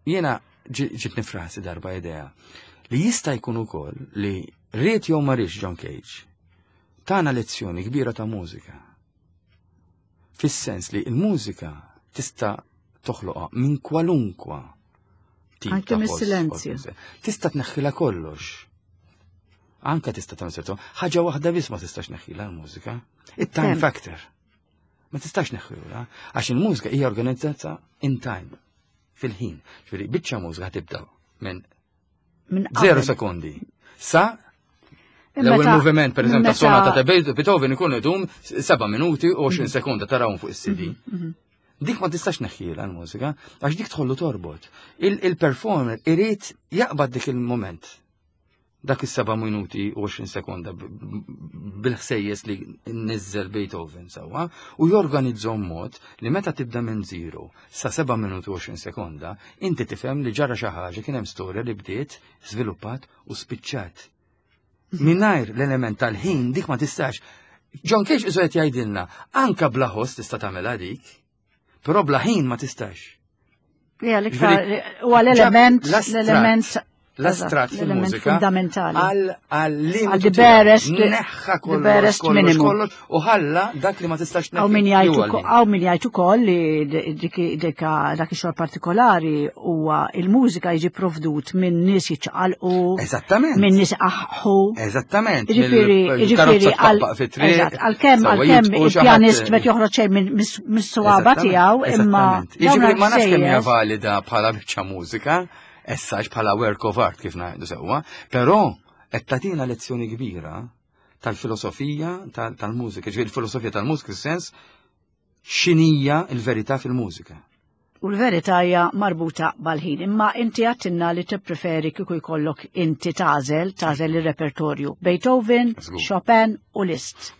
jiena ġitni frasi darba idea li jista' jkun ukoll li ried jew ma riedx John Cage tana lezzjoni kbira ta' mużika. Fis-sens li l-mużika tista' toħloqha minn kwalunkwa tip Anke ta' mis-silenzju. Tista' tneħħilha kollox. Anka tista' tagħmel sertu. Ħaġa waħda biss ma tistax neħħilha l-mużika. It-time factor. Ma tistax neħħilha għax il-mużika hija organizzata in time fil-ħin. Ġifieri biċċa mużika tibda minn Minn 0 sekondi. Sa l-ewwel moviment, per eżempju, ta' sonata ta' Beethoven ikun idum 7 minuti u 20 sekonda tarawhom fuq is-CD. Dik ma tistax neħħiela l-mużika, għax dik tħollu torbot. Il-performer irid jaqbad dik il-moment. Dak is-7 minuti u 20 sekonda bil-ħsejjes li nizzel Beethoven sewwa u jorganizzhom mod li meta tibda minn 0 sa 7 minuti u 20 sekonda, inti tifhem li ġara xi ħaġa kien hemm storja li bdiet, żviluppat u spiċċat. Mingħajr l-element tal-ħin dik ma tistax. John Cage isu qed jgħidilna, anka bla ħoss tista' tagħmilha dik, però bla ħin ma tistax. Ja, l-iktar huwa l-element l-element l-astrat fil-mużika fundamentali. Għal the barest, neħħa the barest minimum. kollox u ħalla dak li ma tistax Għaw min jgħid ukoll li dak ix-xogħol partikolari huwa il-mużika jiġi provdut minn nies jiċċaqalqu. Eżattament. Minn nies aħħu. Eżattament. Jiġifieri għalkemm għalkemm il-pjanist met joħroġ xejn mis-swaba tiegħu imma. Jiġifieri ma nafx kemm hija valida bħala biċċa mużika essaġ bħala work of art kif ngħidu sewwa, però qed tagħtina lezzjoni kbira tal-filosofija tal-mużika, ġifieri il-filosofija tal-mużika sens x'inhija l-verità fil-mużika. U l-verità hija marbuta bal-ħin, imma inti għattinna li tippreferi kieku jkollok inti tagħżel, tagħżel ir-repertorju Beethoven, Chopin u Liszt.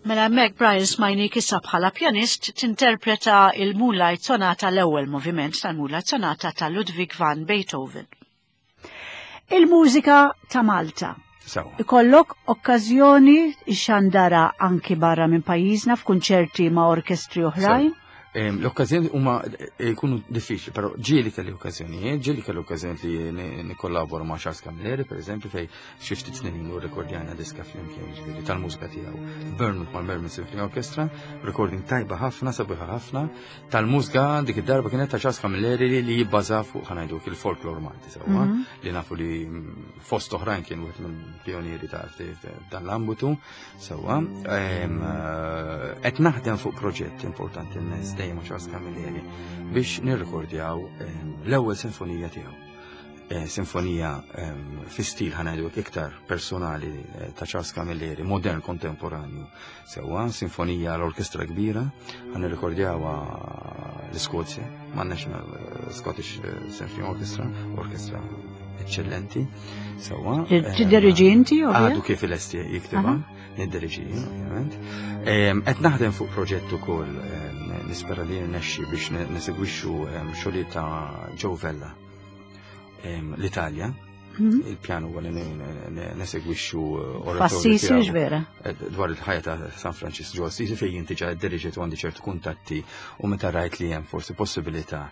Mela hemmhekk Brian smajnik issa bħala pjanist tinterpreta il-Moonlight Sonata l-ewwel moviment tal-Moonlight Sonata ta' Ludwig van Beethoven. Il-mużika ta' Malta. Ikollok okkażjoni xandara anki barra minn pajjiżna f'kunċerti ma' orkestri oħrajn? L-okkażjoni huma eh, jkunu diffiċli, però ġieli kelli okkażjonijiet, ġieli kelli okkażjoni li nikkollabora ma' Charles Camilleri, per eżempju, fej xi ftit snin ilu rekordjajna diska flimkien ġifieri tal-mużika tiegħu. Bournemouth mal-Merman Symphony Orchestra, recording tajba ħafna, sabiħa ħafna, tal-mużika dik id-darba kienet ta' Charles Camilleri li jibbaża fuq ħanajdu il-folklor Malti sewwa, mhm. li nafu li fost oħrajn kien wieħed mill-pionieri ta' dan l-ambitu sewwa. Eh, qed naħdem fuq proġett importanti immens dejjem Charles Camilleri biex nirrekordjaw l-ewwel sinfonija tiegħu. Eh, sinfonija ehm, fi stil ħanajdu iktar personali eh, ta' Charles Camilleri, modern kontemporanju. Sewa, sinfonija l-orkestra kbira, ħan nirrekordjawa l-Iskozja, ma' National eh, Scottish Symphony Orchestra, orkestra eccellenti. Sewa. Ehm, Tidderieġi inti, Għadu kif il-esti jiktiba, nidderieġi, ovvjament. Ehm, qed naħdem fuq proġett ukoll nispera li nexxi biex nesegwixxu xogħlijiet ta' Joe Vella l-Italja, mhm. il-pjan huwa li nesegwixxu eh, oratorju. vera. Eh, dwar il-ħajja ta' San Francisco ġo Assisi fejn jinti ġa diriġet u għandi ċertu kuntatti u meta rajt li hemm forsi possibilità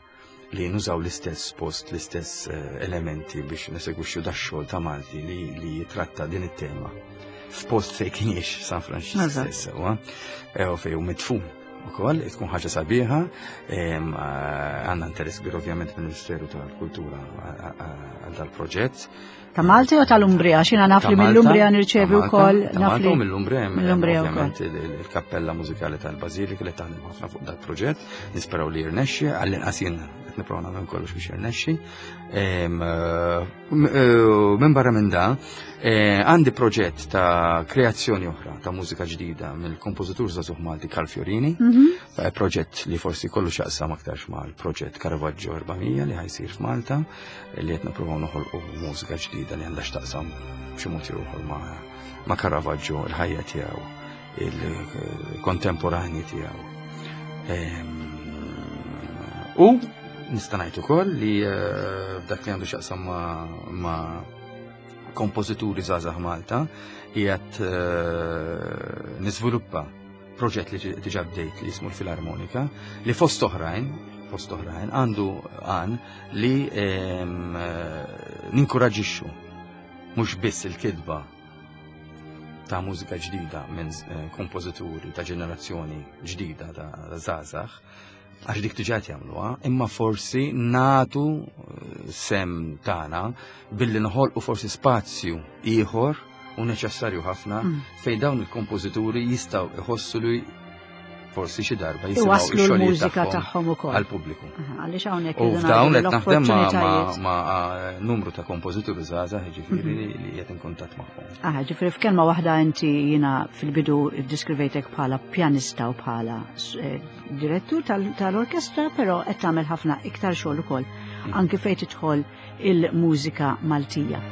li nużaw l-istess post, l-istess eh, elementi biex nesegwixxu da xogħol ta' Malti li, li jitratta din it-tema f'post fejn kien jiex San Francisco stess, u fejn hu midfun ukoll tkun ħaġa sabiħa, eh, għandna interess kbir ovvjament mill-Ministeru tal-Kultura għal dal-proġett. Ta' Malta jew tal-Umbria, xina naf li mill-Umbria nirċevi wkoll naf li. Mill-Umbria mill-Umbria ovvjament il-Kappella Mużikali tal-Bażilika li taħdem ħafna fuq dal-proġett, nisperaw li jirnexxi, għall-inqas jien qed nipprova nagħmel kollox biex jirnexxi. Eh, minn barra minn da, eh, għandi proġett ta' kreazzjoni oħra ta' mużika ġdida mill-kompożitur żagħżugħ Malti Karl Fiorini, mhm. eh, proġett li forsi kollu xaqsam aktarx mal-proġett Caravaggio 400 li ħajsir f'Malta, li qed nippruvaw noħolqu mużika ġdida li għandha x'taqsam b'xi mod jew ieħor ma' Caravaggio, il-ħajja tiegħu, il-kontemporani tiegħu. Ehm, u nista' ngħid ukoll li eh, f'dak li għandu x'jaqsam ma' kompożituri żgħażagħ Malta qiegħed eh, niżviluppa proġett li diġà bdejt li jismu l-Filarmonika li fost oħrajn fost oħrajn għandu għan li ehm, eh, ninkoraġixxu mhux biss il-kitba ta' mużika ġdida minn eh, kompożituri ta' ġenerazzjoni ġdida ta' żgħażagħ, għax dik diġà qed jagħmluha, imma forsi natu eh, sem tagħna billi noħolqu forsi spazju ieħor u neċessarju ħafna mm. fejn dawn il-kompożituri jistgħu iħossu li forsi xi darba jisimgħu l-mużika tagħhom ukoll għall-pubbliku. Għaliex hawnhekk U f'dawn qed naħdem ma' numru ta' kompożituri żgħażagħ ġifieri mhm. li qed inkuntatt magħhom. Aha, ġifieri f'kelma waħda inti jiena fil-bidu ddiskrivejtek bħala pjanista u bħala eh, direttur tal-orkestra, però qed tagħmel ħafna iktar xogħol ukoll mhm. anki fejn tidħol il-mużika Maltija.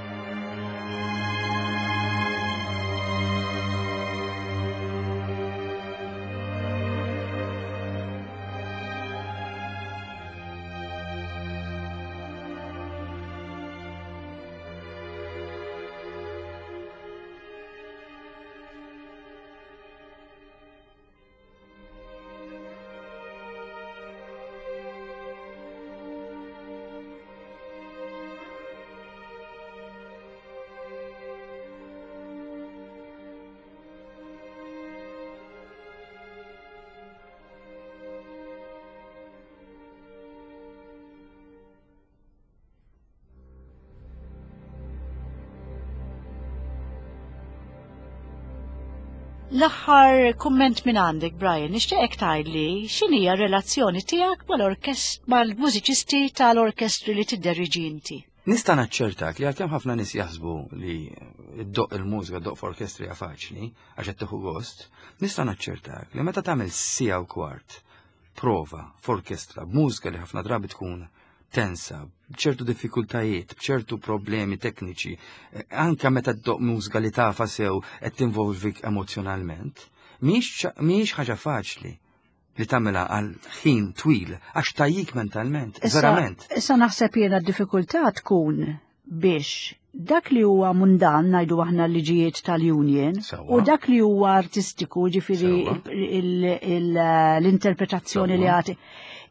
L-aħħar kumment minn għandek, Brian, nixtieqek tgħidli x'inhi r-relazzjoni tiegħek mal-orkest mal-mużiċisti tal-orkestri li tidderiġi inti. Nista' naċċertak li għalkemm ħafna nies jaħsbu li ddoq il-mużika ddoq f'orkestri hija faċli għax qed tieħu gost, nista' naċċertak li meta tagħmel siegħa u kwart prova f'orkestra b'mużika li ħafna drabi tkun tensa, b'ċertu diffikultajiet, b'ċertu problemi tekniċi, eh, anka meta ddoq mużika li tafa sew qed tinvolvik emozjonalment, mhijiex ħaġa faċli li tagħmilha għal ħin twil għax tajjik mentalment, verament. Issa naħseb jiena d-diffikultà tkun biex dak li huwa mundan ngħidu aħna l-liġijiet tal-union u dak li huwa artistiku ġifieri l-interpretazzjoni li għati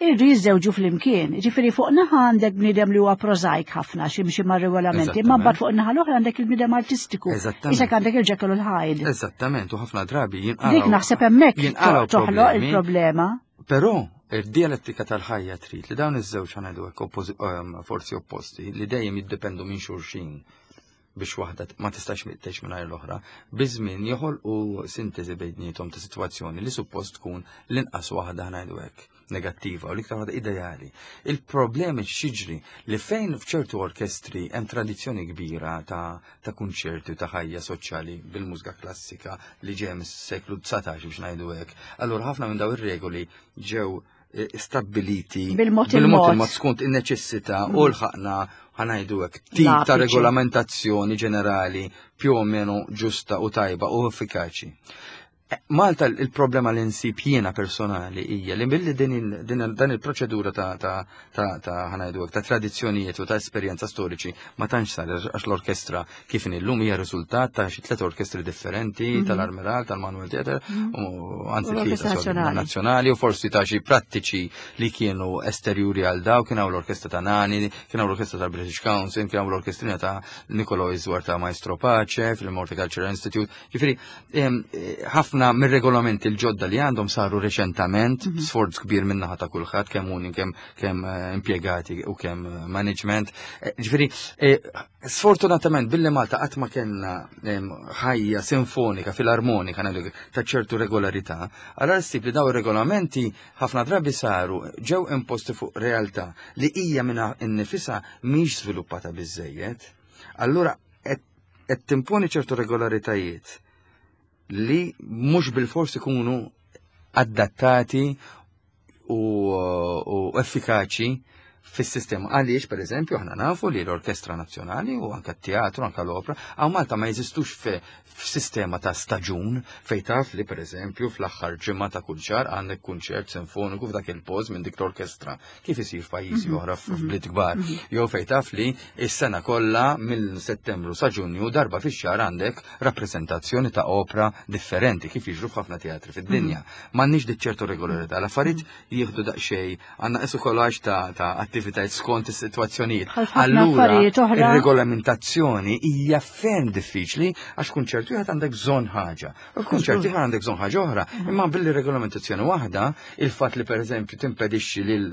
irridu jiżżewġu flimkien. Ġifieri fuq naħa għandek bniedem li huwa prożajk ħafna xi mxi mar-regolamenti, imma mbagħad fuq naħa l-oħra għandek il-bniedem artistiku. Isek għandek il-Jekyll u l-Hyde. Eżattament, u ħafna drabi jinqalgħu. Dik naħseb hemmhekk toħloq il-problema. Però id-dialettika tal-ħajja trid li dawn iż-żewġ ħanajdu hekk ehm, forzi opposti li dejjem jiddependu minn xulxin biex waħda ma tistax tgħix mingħajr l-oħra, biż-żmien joħolqu sintesi bejniethom ta' sitwazzjoni li suppost tkun l-inqas waħda ħanajdu hekk negattiva u l-iktar waħda ideali. Il-problemi xiġri li fejn f'ċertu orkestri hemm tradizzjoni kbira ta' ta' kunċerti u ta' ħajja soċjali bil-mużika klassika li ġej mis-seklu 19 biex ngħidu hekk. Allura ħafna minn daw ir-regoli ġew eh, stabbiliti bil-mod il-mod skont in-neċessità u mm. l-ħaqna ħanajdu hekk tip ta' regolamentazzjoni ġenerali più o meno ġusta u tajba u effikaċi. Malta il-problema li nsib jiena personali hija li billi din dan il-proċedura ta' ta' ta' ta' ħanajdu ta' tradizzjonijiet u ta' esperjenza storiċi ma tantx sar għax l-orkestra kif illum hija riżultat ta' xi tliet orkestri differenti mhm. tal-Armiral, tal-Manuel Theatre mhm. u anzi tlieta nazzjonali u forsi ta' xi prattiċi li kienu esterjuri għal daw kien hawn l-orkestra ta' Nani, kien hawn l-orkestra tal-British Council, kien hawn l-orkestrina ta' Nicolo Izwar ta' Maestro Pace fil-Horticultural Institute. Ġifieri ħafna mir-regolamenti l-ġodda li għandhom saru reċentament, mhm. sforz kbir minnaħa ta' kulħadd kemm uni kemm kemm eh, impjegati u kemm eh, management. Eh, ġifieri, sfortunatament billi Malta qatt ma kellna ħajja sinfonika, filarmonika ta' ċertu regolarità, allora ssib li daw ir-regolamenti ħafna drabi saru ġew imposti fuq realtà li hija minna innifisha mhix żviluppata biżejjed. Allura qed timponi ċertu regolaritajiet li mhux bil-fors ikunu adattati u, u effikaċi fis-sistema. Għaliex, per eżempju, aħna nafu li l-Orkestra Nazzjonali u anka t-teatru, anka l-opra, għaw Malta ma jeżistux f'sistema ta' staġun fej taf li, per eżempju, fl-aħħar ġimgħa ta' kull xahar għandek kunċert sinfoniku f'dak il-post minn dik l-orkestra. Kif isir f'pajjiżi mhm. oħra mhm. f'bliet kbar. Mhm. Jew fejn taf li s-sena kollha mill Settembru sa Ġunju darba fix-xahar għandek rappreżentazzjoni ta' opra differenti kif jiġru f'ħafna teatri fid-dinja. M'għandniex dik ċertu regolarità. L-affarijiet jieħdu daqsxejn għandna qisu kolaġ ta' attivitajiet skont is-sitwazzjonijiet. Allura ir-regolamentazzjoni hija ferm diffiċli għax kunċert wieħed għandek bżonn ħaġa. U f'kunċert ieħor għandek bżonn ħaġa oħra. Imma billi regolamentazzjoni waħda, il-fatt li pereżempju timpedixxi lil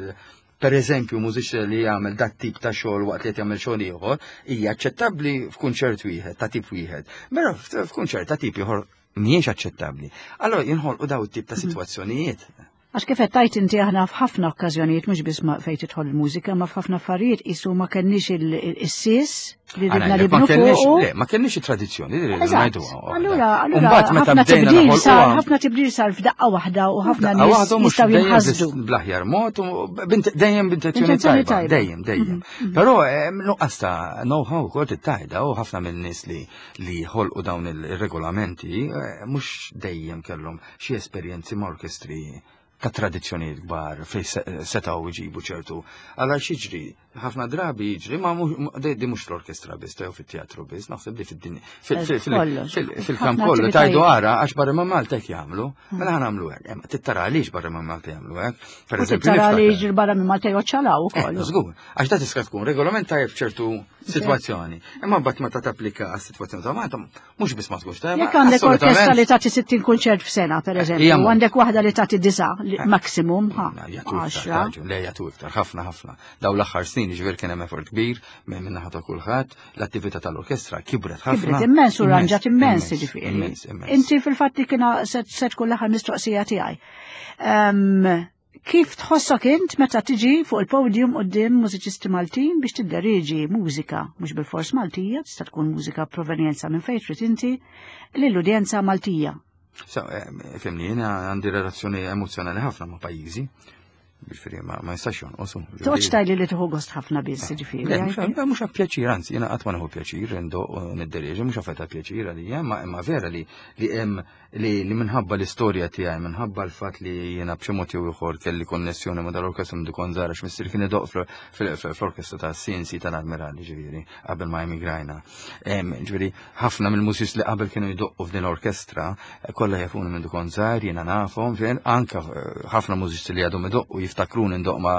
per eżempju mużiċ li jagħmel dat tip ta' xogħol waqt li qed jagħmel xogħol ieħor, hija aċċettabbli f'kunċert wieħed ta' tip wieħed. Mela f'kunċert ta' tip ieħor Mhijiex aċċettabbli. Allora jinħolqu daw it-tip ta' sitwazzjonijiet. Għax kif qed tgħid inti aħna f'ħafna okkażjonijiet mhux biss ma fejn tidħol il-mużika, ma f'ħafna affarijiet qisu ma kenniex is-sies li Għana, ridna jekk li ma bnu kellniex, fuqu. le, ma kellniex it-tradizzjoni li rridu Eżatt. ngħiduha. Allura, allura Mbagħad meta ħafna bdejna tibdil sar, noħolquha- ħafna tibdil sar f'daqqa waħda u ħafna Daqqa nies waħda u mhux jistgħu dejjem jinħasdu. biss Bl-aħjar mod, u dejjem b'intenzjoni Intenzjoni tajba. tajba. Dejjem, dejjem. Però nuqqas ta' know-how ukoll tittajda u ħafna minn nies li li ħolqu dawn il-regolamenti mhux dejjem kellhom xi esperjenzi ma' orkestri ta' tradizzjonijiet kbar fejn setgħu jġibu ċertu. Alla xiġri, ħafna drabi jiġri, ma mhux di mhux fl-orkestra biss, jew fit-teatru biss, naħseb li fid-dinja. Kollox. Fil-kamp Ħafna kollu tajdu attivitajiet. ara għax barra ma' Malta hekk jagħmlu, mela ħa nagħmlu hekk. Tittara għaliex barra ma' Malta jagħmlu hekk. Per U eżempju, tittara li niftakar. jiġri barra minn Malta joċċalaw ukoll. Żgur, għax da tista' tkun regolament tajjeb f'ċertu sitwazzjoni. Imma mbagħad meta tapplika għas-sitwazzjoni ta' Malta, mhux biss ma tkunx tajba. Jekk għandek orkestra assolutament. li tagħti 60 kunċert f'sena, per eżempju, hija u mod. għandek waħda li tagħti disa maximum, ha, Na, jagħtu iktar, għaxra. raġun, le jagħtu iktar, ħafna ħafna. Daw l-aħħar snin ġifier kien hemm effort kbir minn naħa ta' kulħadd, l-attività tal-orkestra kibret ħafna. Kibret immens u ranġat immens, ġifieri. Immens, immens. Inti fil-fatt li kiena se tkun l-aħħar mistoqsija tiegħi. Kif tħossok int meta tiġi fuq il-podium quddiem mużiċisti Maltin biex tidderiġi mużika, mhux bil-fors Maltija, tista' tkun mużika provenjenza minn fejn trid inti, lill-udjenza Maltija. So, fimni, jiena għandi relazzjoni emozjonali ħafna ma' pajjiżi, ġifieri ma jistax jonqos. Toqgħodx tgħidli li tieħu gost ħafna biss, ġifieri. Le, mhux pjaċir, anzi, jiena qatt ma nieħu pjaċir indoq u nidderieġi, mhux affetta pjaċir għalija, imma vera li li hemm li minħabba l-istorja tiegħi, minħabba l-fatt li jiena b'xi mod jew ieħor kelli konnessjoni ma' dal-orkestra minn kont żgħar għax missieri kien idoq fl-orkestra ta' CNC tal-Admirali, ġifieri, qabel ma emigrajna. Ġifieri, ħafna mill-mużiċisti li qabel kienu jdoqqu f'din l-orkestra, kollha jafuni minn kont żgħar, jiena nafhom, fejn anka ħafna mużiċisti li għadhom idoqqu jiftakruni ndoq ma'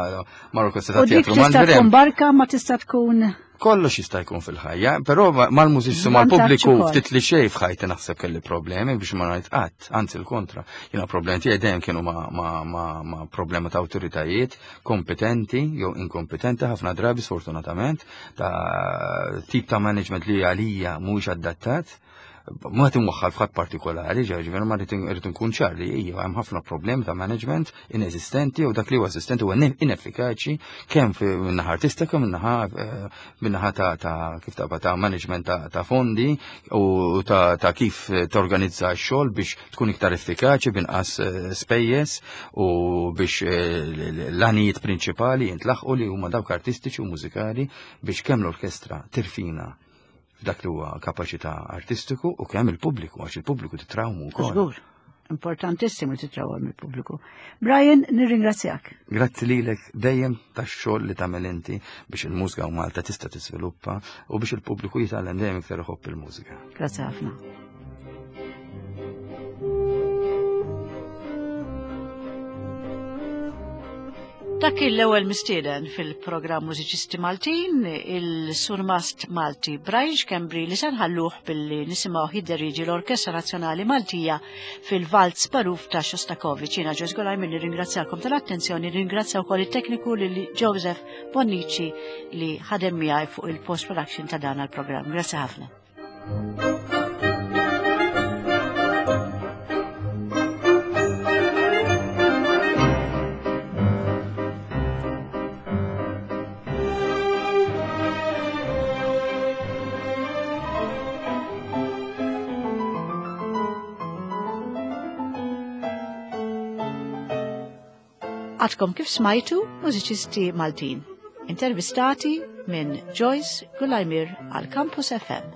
l-orkestra ta' U dik teatru tista' Mandrem. tkun barka ma tista' tkun Kollox jista' jkun fil-ħajja, però mal-mużiċisti Vantaġġ mal-pubbliku ukoll. ftit li xejn f'ħajti naħseb kelli problemi biex ma ngħid qatt, anzi l-kontra. Jiena problemi tiegħi dejjem kienu ma' problema ta' awtoritajiet kompetenti jew inkompetenti ħafna drabi sfortunatament ta' tip ta' management li għalija mhuwiex adattat. Ma qed imwaħħal f'ħadd partikolari, ġifieri ma rrid inkun ċar li hija hemm ħafna problemi ta' management ineżistenti u dak li huwa eżistenti huwa ineffikaċi kemm min-naħa artistika, min-naħa ta' kif ta' ta' management ta' fondi u ta' kif torganizza x-xogħol biex tkun iktar effikaċi b'inqas spejjeż u biex l-għanijiet prinċipali jintlaħqu li huma dawk artistiċi u mużikali biex kemm l-orkestra tirfina f'dak li huwa kapaċità artistiku u kemm il-pubbliku, għax il-pubbliku titrawmu wkoll. Żgur, importantissimu titrawmu il-pubbliku. Brian, nirringrazzjak. Grazzi lilek dejjem tax-xogħol li tagħmel inti biex il-mużika u Malta tista' tiżviluppa u biex il-pubbliku jitgħallem dejjem iktar iħobb il-mużika. Grazzi ħafna. Dak l-ewwel mistieden fil-programm Mużiċisti Maltin, il-Surmast Malti Brian Schembri li se nħalluh billi nisimgħu jidderieġi l-Orkestra Nazzjonali Maltija fil-Valz Magħruf ta' Shostakovich. Jiena Joyce Golaj minni ringrazzjakom tal-attenzjoni, ringrazzja wkoll it-tekniku lil Joseph Bonnici li ħadem miegħi fuq il-post-production ta' dan il-programm. Grazzi ħafna. Għadkom kif smajtu mużiċisti Maltin, intervistati minn Joyce Gulajmir għal Campus FM.